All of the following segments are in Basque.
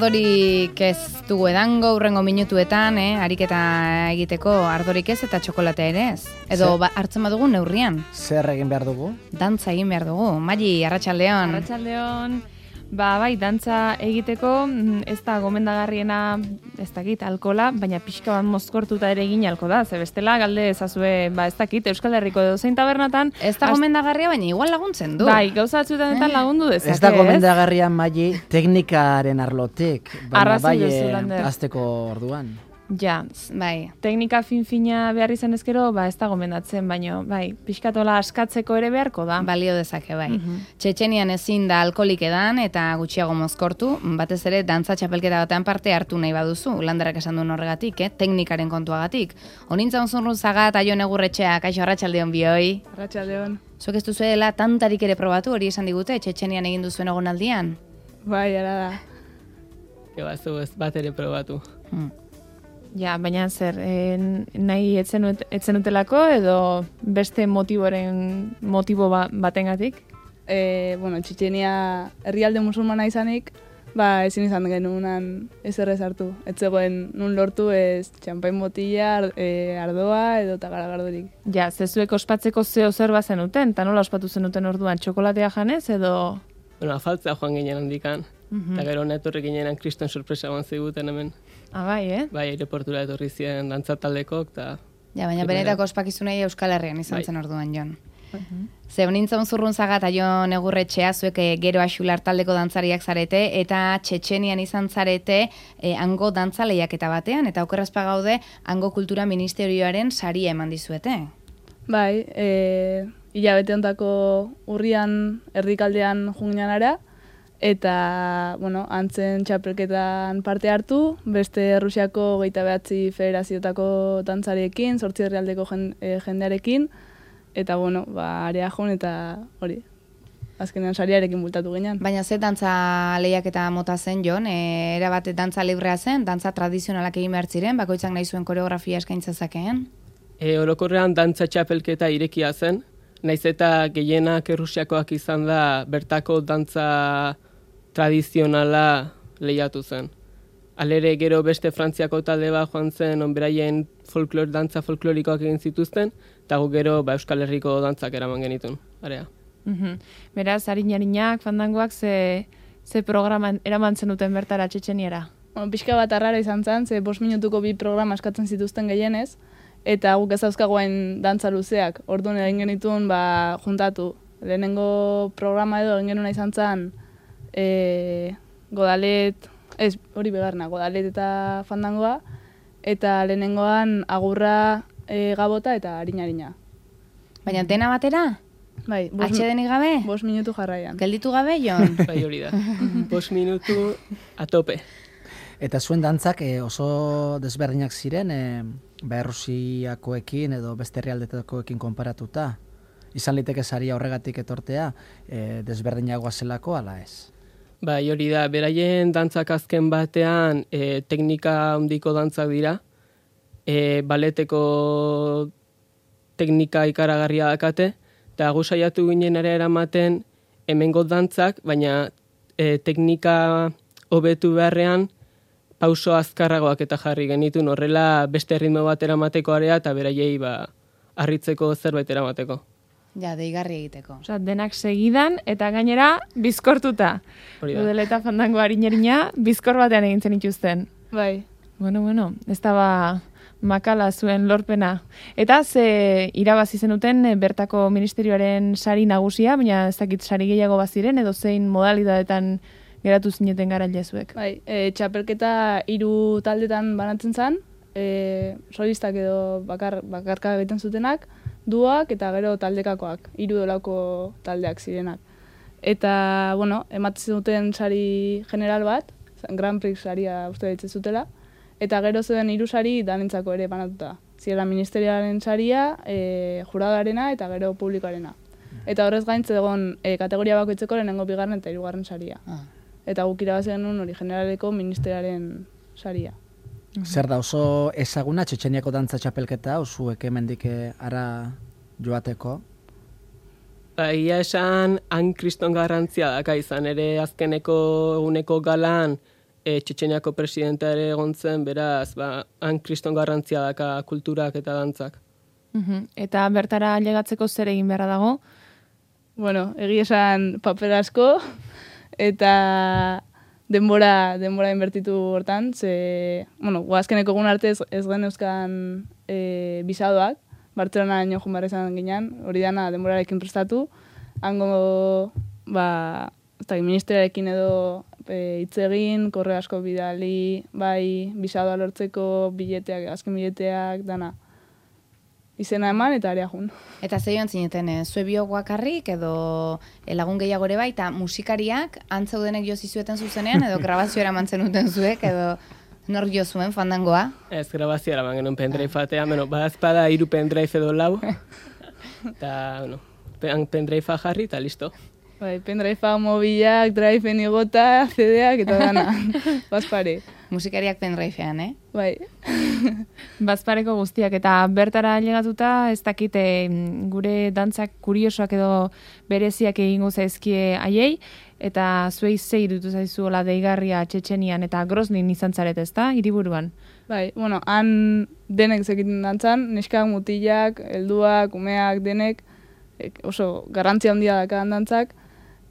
ardorik ez dugu edango, urrengo minutuetan, ariketa egiteko ardorik ez eta txokolatea ere ez. Edo hartzen badugu neurrian. Zer egin behar dugu? Dantza egin behar dugu. Maili, arratsaldeon. Arratsaldeon. Bai, dantza egiteko ez da gomendagarriena, ez dakit, alkola, baina pixka bat mozkortuta ere egin alko da. Ze bestela galde ezazue, ez dakit, Euskal Herriko edozein tabernatan. Ez da gomendagarria, baina igual laguntzen du. Bai, gauza batzuetan lagundu dezake. Ez da gomendagarria, Maili, teknikaren arlotik, baina bai azteko orduan. Ja, bai. Teknika fin-fina behar izan ezkero, ez da gomendatzen, baina bai, pixkatola askatzeko ere beharko da. Balio dezake, bai. Txetxenian ezin da alkoholik edan eta gutxiago mozkortu, batez ere dantza txapelketa batean parte hartu nahi baduzu, Landerrak esan duen horregatik, teknikaren kontuagatik. Honintza onzunrun zagat, Aion Egurretxea, kaixo, arratsaldeon bioi. Arratsaldeon. Zuek ez duzuela tantarik ere probatu, hori esan digute, Txetxenian egin duzuen egonaldian? Bai, ara da. Zu ez bat ere probatu. Ja, baina zer, nahi etzen utelako edo beste motibo batengatik? Txetxenia herrialde musulmana izanik, ezin izan genunan ezer ez hartu. Ez zegoen nun lortu ez txampain botila, ardoa edo tagaragardorik. Ja, zezuek ospatzeko zeo zer bazenuten, eta nola ospatu zenuten orduan, txokolatea janez edo? Afaltzea joan ginen handikan, eta gero netorri ginenan kriston sorpresa eman ziguten hemen. Bai, Bai, aireportura etorri ziren dantzataldekok, eta... Ja, baina benetako ospakizunei Euskal Herrian izan zen orduan, Jon. Ze honintza onzurrun zagat, Aion Egurretxea, zuek gero Axular taldeko dantzariak zarete, eta Txetxenian izan zarete hango dantza lehiaketa batean, eta okerrazpa gaude hango kultura ministerioaren saria eman dizuete. Bai, hilabete hontako urrian erdikaldean junginanara, eta, antzen txapelketan parte hartu, beste Rusiako 29 federazioetako dantzariekin, 8 herrialdeko jendearekin, eta, area joan eta hori, azkenean sariarekin bultatu ginen. Baina ze dantza lehiaketa mota zen, Jon? Erabat dantza librea zen, dantza tradizionalak egin behar ziren, bakoitzak nahi zuen koreografia eskaintza zakeen? Orokorrean dantza txapelketa irekia zen, naiz eta gehienak Rusiakoak izan da bertako dantza tradizionala lehiatu zen. Alere gero beste Frantziako talde bat joan zen, onberaien dantza folklorikoak egin zituzten, eta gu gero Euskal Herriko dantzak eraman genitun, area. Beraz, harinarinak, fandangoak, ze programan eraman zenuten bertara Txetxeniera? Pixka bat arrara izan zen, ze 5 minutuko 2 programa eskatzen zituzten gehienez, eta guk ez dauzkagoen dantza luzeak. Orduan egin genituen juntatu. Lehenengo programa edo egin genuna izan zen godalet eta fandangoa, eta lehenengoan agurra, gabota eta harina. Baina dena batera? Bai. Atxedenik gabe? 5 minutu jarraian. Gelditu gabe, Jon? Bai, hori da. 5 minutu atope. Eta zuen dantzak oso desberdinak ziren, Errusiakoekin edo beste herrialdetakoekin konparatuta. Izan liteke saria horregatik etortea, desberdinagoa zelako, ala ez? Bai, hori da, beraien dantzak azken batean teknika handiko dantzak dira, baleteko teknika ikaragarria dakate, eta gu saiatu ginen ere eramaten hemengo dantzak, baina teknika hobetu beharrean pauso azkarragoak eta jarri genitun, horrela beste ritmo bat eramateko area eta beraiei harritzeko zerbait eramateko. Ja, deigarri egiteko. Osa, denak segidan eta gainera bizkortuta. Udeleta fandango harinerina bizkor batean egin zen ituzten. Bai. Bueno, ez da makala zuen lorpena. Eta ze irabazi zenuten bertako ministerioaren sari nagusia, baina ez dakit sari gehiago baziren edo zein modalidadetan geratu zineten garailezuek. Bai, txapelketa 3 taldetan banatzen zen, solistak edo bakarka egiten zutenak, duak eta gero taldekakoak, 3 dolako taldeak zirenak. Eta, ematzen duten sari general bat, Grand Prix saria uste ditzen zutela, eta gero zuen 3 sari danentzako ere banatuta. Zirela ministeriaren saria, juradoarena eta gero publikoarena. Eta horrez gaintze egon kategoria bakoitzeko lehenengo 2. eta 3. saria. Eta guk irabazi genuen hori generaleko ministeriaren saria. Zer da oso ezaguna Txetxeniako dantza txapelketa, zuek hemendik ara joateko? Ia esan, han kriston garrantzia daka izan ere azkeneko eguneko galan Txetxeniako presidentea ere egon zen, beraz, han kriston garrantzia daka kulturak eta dantzak. Eta bertara llegatzeko zer egin beharra dago? Bueno, egia esan paper asko, eta denbora inbertitu hortan, ze, bueno, guazkeneko egun arte ez gen euskan bisadoak, Bartzelona nio joan behar izan ginen, hori dana denborarekin prestatu, hango, ministeriarekin edo hitz egin, korre asko bidali, bai, bisadoa lortzeko bileteak, azken bileteak, dana. Izena eman eta area jun. Eta ze joan zineten, zue biok bakarrik edo lagun gehiago ere bai, eta musikariak antzeudenek jo zizueten zuzenean, edo grabazioa eramantzen duten zuek, edo nor jo zuen fandangoa? Ez, grabazioa eraman genuen pendrive batean, badazpada 3 pendrive edo 4, eta, pendrive jarri eta listo. Bai, pendrive mobilak, drive-en igota, CD-ak eta dana, bazpare. Musikariak pendrivean, Bai. Bazpareko guztiak, eta bertara llegatuta ez dakite gure dantzak kuriosoak edo bereziak egingo zaizkie haiei, eta zuei ze iruditu zaizuela deigarria Txetxenian eta Groznin izan zaret, ezta, hiriburuan? Bai, bueno, han denek zekiten dantzan, neskak, mutilak, helduak, umeak, denek, oso garrantzia handia dakan dantzak,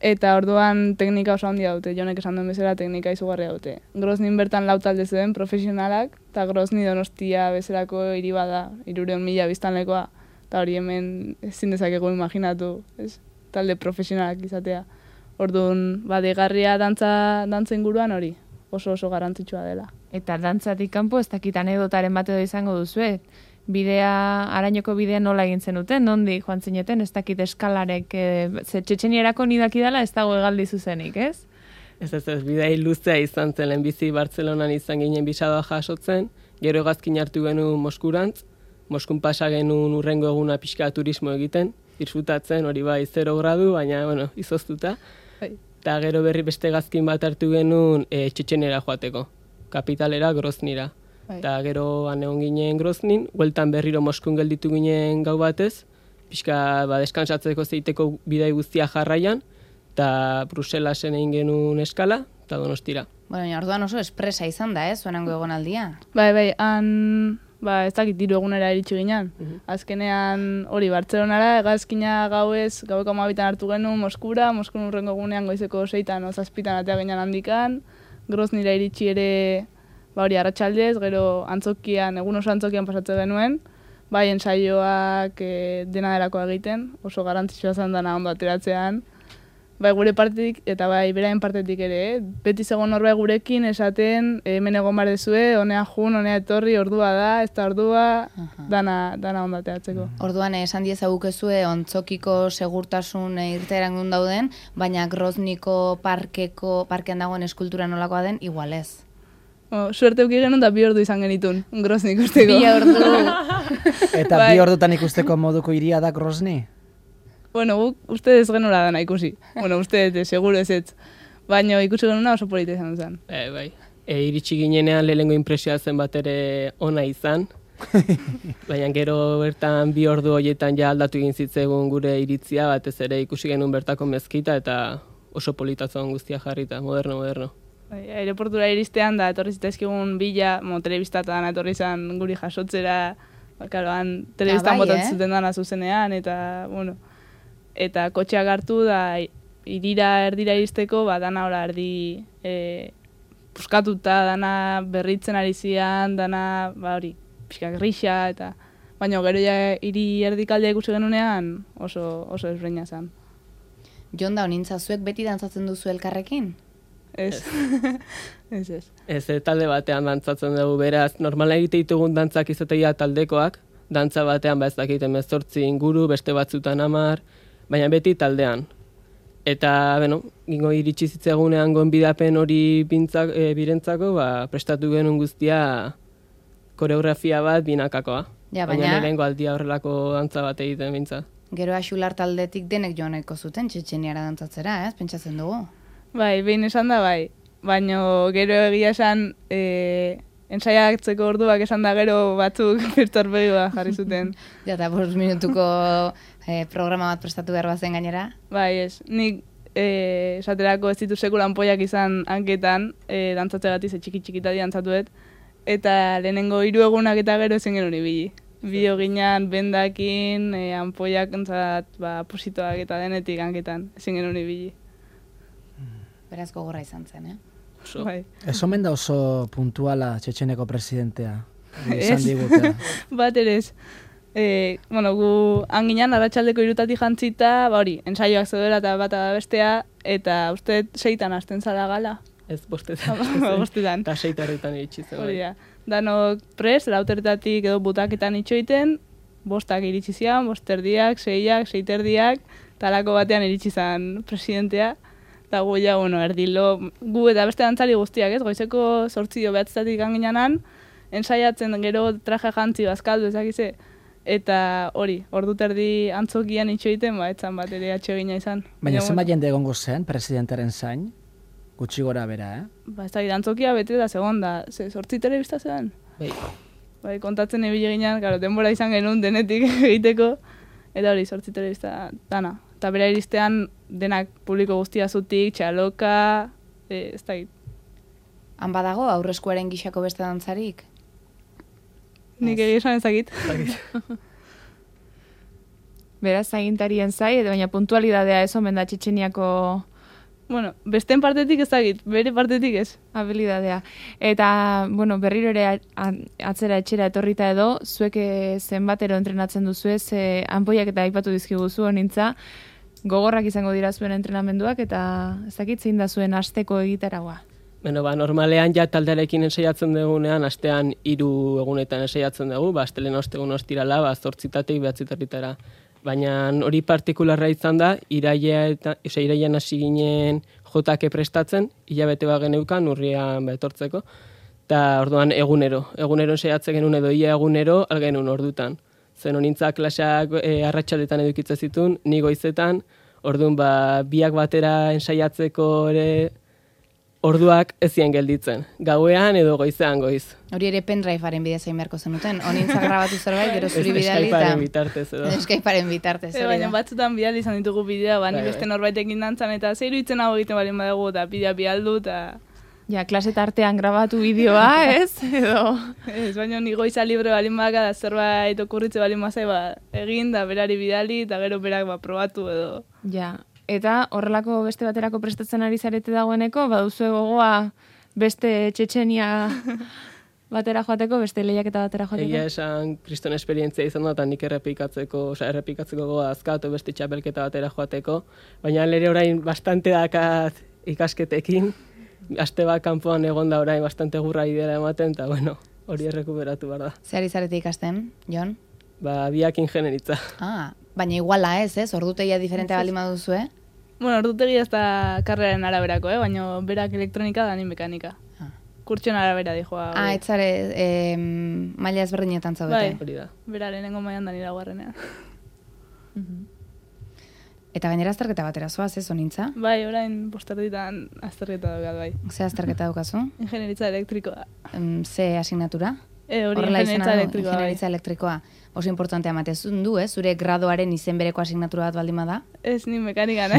eta orduan teknika oso handia dute, Jonek esan duen bezala teknika izugarria dute. Groznin bertan 4 talde zeuden profesionalak, eta Grozni Donostia bezalako hiri bada, 300.000 biztanlekoa, eta hori hemen ezin dezakegu imaginatu, ez? Talde profesionalak izatea. Orduan, deigarria dantza inguruan hori, oso garrantzitsua dela. Eta dantzatik kanpo ez dakit anekdotaren bat edo izango duzue. Arañoko bidea nola egin zenuten, nondik joan zineten, ez dakit eskalarek, ze Txetxenierako nidaki dela ez dago hegaldi zuzenik, ez? Ez, bidei luzea izan zen, lehenbizi Bartzelonan izan ginen bisadoa jasotzen, gero hegazkin hartu genuen Moskurantz, Moskun pasa genuen urrengo eguna pixka turismo egiten, disfrutatzen, hori bai 0 gradu, baina, izoztuta. Eta gero berri beste hegazkin bat hartu genuen Txetxeniera joateko, kapitalera, Groznira. Eta gero egon ginen Groznin, hueltan berriro Moskun gelditu ginen gau batez, pixka deskansatzeko zeiteko bidai guztia jarraian, eta Bruselasen egin genuen eskala, eta Donostira. Bueno, orduan oso espresa izan da, zuenango egonaldia? Bai, han, ez dakit 3 egunera iritsi ginen. Azkenean hori Bartzelonara, hegazkina gaueko 12 hartu genuen Moskura, Moskun urrengo egunean goizeko 6 o 7 atea ginen handikan, Groznira iritsi ere hori arratsaldez, gero egun oso antzokian pasatzen genuen, bai ensaioak dena delakoa egiten, oso garrantzitsua zen dana ondo ateratzean, bai gure partetik eta bai beraien partetik ere, beti zegoen norbait gurekin esaten, hemen egon behar dezue, honea jun, honea etorri, ordua da, ez da ordua, dana ondo ateratzeko. Orduan esan diezagukezue ontzokiko segurtasun irteeran dauden, baina Grozniko parkean dagoen eskultura nolakoa den, igual ez. Suerte euki genuen da 2 ordu izan genitun, Grozni ikusteko. 2 ordu. Eta 2 ordutan ikusteko moduko hiria da Grozni? Bueno, uste ez genuela dana ikusi. Bueno, uste seguro ez ez. Baina ikusi genuena oso polita izan zen. Bai. Iritsi ginenean lehenengo impresioa zen bat ere ona izan. Baina gero bertan 2 ordu horietan ja aldatu egin zitzegun gure iritzia, batez ere ikusi genuen bertako mezkita eta oso politatzen guztia jarrita, moderno. Aeroportura iristean da, etorri zitezkigun bila, telebistatan etorri izan guri jasotzera, karoan, telebistan botatzen zuten dana zuzenean, eta, eta kotxeak hartu da, erdira iristeko, dana ora erdi puskatuta, dana berritzen ari zian, dana, hori, pixka grisa, eta, baina gero ja erdikaldea ikusi genunean oso ezberdina zen. Jon da, honintza zuek beti dantzatzen duzu elkarrekin? Ez. Ez, talde batean dantzatzen dugu, beraz, normala egite ditugun dantzak izatea taldekoak, dantza batean ez dakite 18 inguru, beste batzutan 10, baina beti taldean. Eta, gingo iritsi zitzagunean gonbidapen hori birentzako, prestatu genuen guztia koreografia bat binakakoa. Baina lehenko aldia horrelako dantza bat egiten bintza. Gero Axular taldetik denek joaneko zuten Txetxeniara dantzatzera, pentsatzen dugu? Bai, behin esan da, bai. Baina gero egia esan, ensaiatzeko orduak esan da gero batzuk birtorpegua jarri zuten. Ja, eta 5 minutuko programa bat prestatu behar bazen gainera? Bai, ez. Nik esaterako ez ditu sekula anpoiak izan hanketan, dantzatzegatik ze txiki-txikitadi dantzatuet, eta lehenengo 3 egunak eta gero ezin genuen ibili. Bideo ginean, bendakin, anpoiak entzat, positoak eta denetik hanketan, ezin genuen ibili. Beraz gogorra izan zen, Bai. Ez omen da oso puntuala Txetxeneko presidentea. Izan digute. Bat ere ez. Gu hanginan arratsaldeko 3 jantzita, hori, ensaioak zeudela eta bata da bestea, eta uste 6 hasten zara gala. Ez, bostetan. Bostetan. Eta 6 iritsi zen. Hori da. Danok prest, 4 edo butaketan itxoiten, 5 iritsi zian, 5:30, 6, 6:30, talako batean iritsi zen presidentea. Eta gu ja, erdilo, gu eta beste dantzari guztiak, ez? Goizeko 8 behatzetatik ganginanan, ensaiatzen gero traje jantzi bazkaldu ezakize. Eta hori, ordu terdi antzokian itxoiten, etzan bat ere atsegina izan. Baina zenbat jende egongo zen presidentaren zain? Gutxi gora bera, Ez da, antzokia bete da segon da, 8 telebista zen. Bai, kontatzen ibili ginean, denbora izan genuen denetik egiteko, eta hori, 8 telebista dana. Eta bera iristean denak publiko guztia zutik, txaloka, ez da git. Han badago aurreskuaren gixako beste dantzarik? Nik egia esan ezagit. Beraz, agintarien zai, baina puntualidadea ez omen da Txetxeniako... Besteen partetik ezagit, bere partetik ez. Habilidadea. Eta, berriro ere atzera etxera etorrita edo, zuek zenbatero entrenatzen duzue, anpoiak eta aipatu dizkiguzu honintza, gogorrak izango dira zuen entrenamenduak, eta ez dakit zein da zuen asteko egitaragoa. Normalean ja taldearekin ensaiatzen dugunean, astean 3 egunetan ensaiatzen dugu, astelehen ostegun ostirala, 8-tatik 9-taritara. Baina hori partikularra izan da, irailean hasi ginen jotake prestatzen, hilabete bat geneukan urrian etortzeko, eta orduan egunero ensaiatzen genuen edo ia egunero algenuen ordutan. Zen honintza klaseak arratsaletan edukitzen zituen, ni goizetan, orduan biak batera ensaiatzeko ere orduak ezien gelditzen. Gauean edo goizean goiz. Hori ere pendrivearen bidez egin beharko zenuten. Honintza grabatu zerbait, gero zuri bidali eta... Skypearen bitartez edo. Skypearen bitartez. Baina batzutan bidali izan ditugu bidea, ni beste norbaitekin dantzan, eta zeiru itzen hau egiten balin badago, eta bidea bialdu, eta... Ja, klase tartean grabatu bideoa, ez? Edo... Ez, baina ni goiza libre balin badaka, da zerbait okurritze balin bazai, egin, da berari bidali, eta gero berak probatu edo... Ja, eta horrelako beste baterako prestatzen ari zarete dagoeneko, baduzue gogoa beste Txetxenia batera joateko, beste lehiaketa batera joateko? Egia esan kriston esperientzia izan da, eta nik errepikatzeko gogoa azkatu beste txapelketa batera joateko, baina lere orain bastante dakat ikasketekin, aste bat kanpoan egon da orain bastante gurra idea ematen, eta hori errekuperatu behar da. Zer ari zarete ikasten, Jon? Biak ingenieritza. Baina iguala ez, ordutegia diferentea baldin baduzu, Ordutegia ez da karreraren araberako, baina berak elektronika da ni mekanika. Kurtsion arabera dijoa. Etzare maila ezberdinetan zaudete. Bai, bera lehenengo mailan da nira guarrenean. Eta gainera azterketa batera zoaz, ez honintza? Bai, orain posterditan azterketa daukat, bai. Ze azterketa daukazu? Ingenieritza elektrikoa. Ze asignatura? Hori ingenieritza elektrikoa. Oso importantea ematezun du, zure gradoaren izen bereko asignatura bat baldin bada? Ez, ni mekanikan,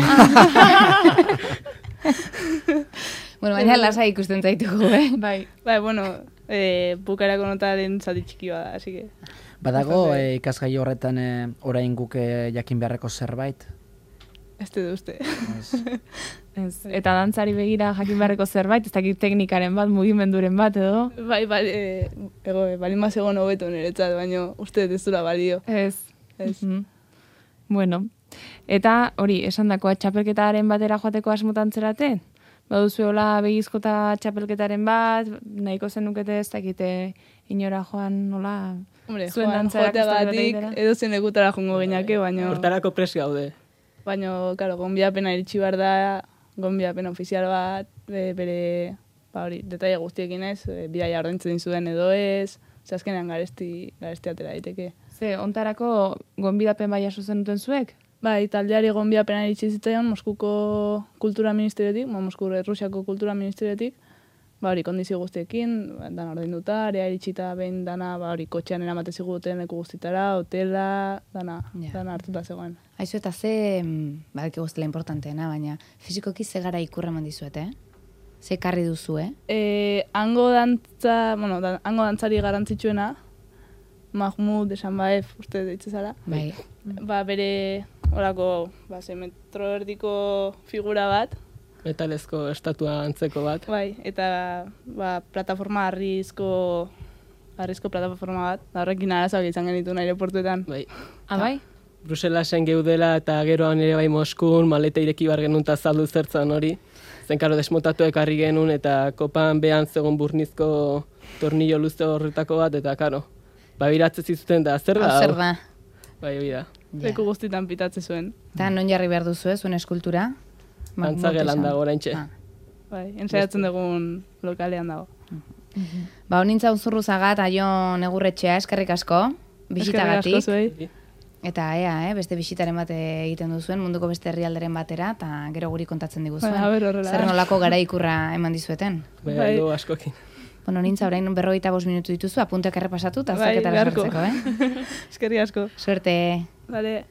Baina lasai ikusten zaitugu, Bai, bukarako notaren zati txiki bada, así que... Badago ikasgai horretan orain guk jakin beharreko zerbait? Ez du uste. Eta dantzari begira jakin beharreko zerbait, ez dakit teknikaren bat, mugimenduren bat edo? Bai, balin bat egon hobeto niretzat, baina uste ez dura balio. Ez. Bueno, eta hori, esandakoa txapelketaren batera joateko asmotan zerate? Baduzuela begizkota txapelketaren bat, nahiko zenukete ez dakite inora joan nola... Hombre, joateagatik edo zen egutara jongo gineake, baina... Hortarako presi gaude. Baina, karo, gonbiapena iritsi behar da, gonbiapena ofizial bat, bere, detaile guztiekin ez, bidaia ordaintzen zuen edo ez, azkenean garesti atera daiteke. Ze, ontarako gonbidapen bai jaso zenuten zuek? Bai, taldeari gonbiapena iritsi zitzaion Moskuko kultura ministeriotik, Mosku Errusiako kultura ministeriotik, ba hori kondizio guztiekin, dana ordainduta, area iritsita behin dana, ba hori kotxean eramate ziguten leku guztitara, hotela, dana hartuta zegoen. Aizu eta ze, badaki guztela importanteena, baina fizikoki ze gara ikurra eman dizuete, Ze karri duzu, Hango hango dantzari garantzitsuena, Mahmud Esanbaev, uste deitze zara. Bai. Ba bere, horako, ze metro erdiko figura bat, Metalezko estatua antzeko bat. bai, eta plataforma harrizko plataforma bat, da horrekin arazoak izan genituen aireportuetan. Bai. Bai? Bruselasen geudela eta geroan ere bai Moskun, maleta ireki bar genuen eta zaldu zertzan hori. Zen karo desmotatu ekarri genuen eta kopan behan zegoen burnizko tornillo luze horretako bat, eta karo, biratzen zizuten da, zer da? Zer da? Bai, hori da. Leku guztitan pitatze zuen. Eta non jarri behar duzu, zuen eskultura? Antzagelan dago oraintxe. Bai, ensaiatzen dugun lokalean dago. Ba, honintza Unzurruzaga eta Jon Egurretxea, eskerrik asko, bisitagatik. Eskerrik asko zuei. Eta beste bisitaren bat egiten duzuen, munduko beste herrialderen batera, eta gero guri kontatzen diguzuen. Horrela. Zer nolako gara ikurra eman dizueten. Bai, askokin. Bueno, nintza orain 45 minutu dituzu, apunteak errepasatu, eta azterketara sartzeko, Eskerrik asko. Suerte. Vale.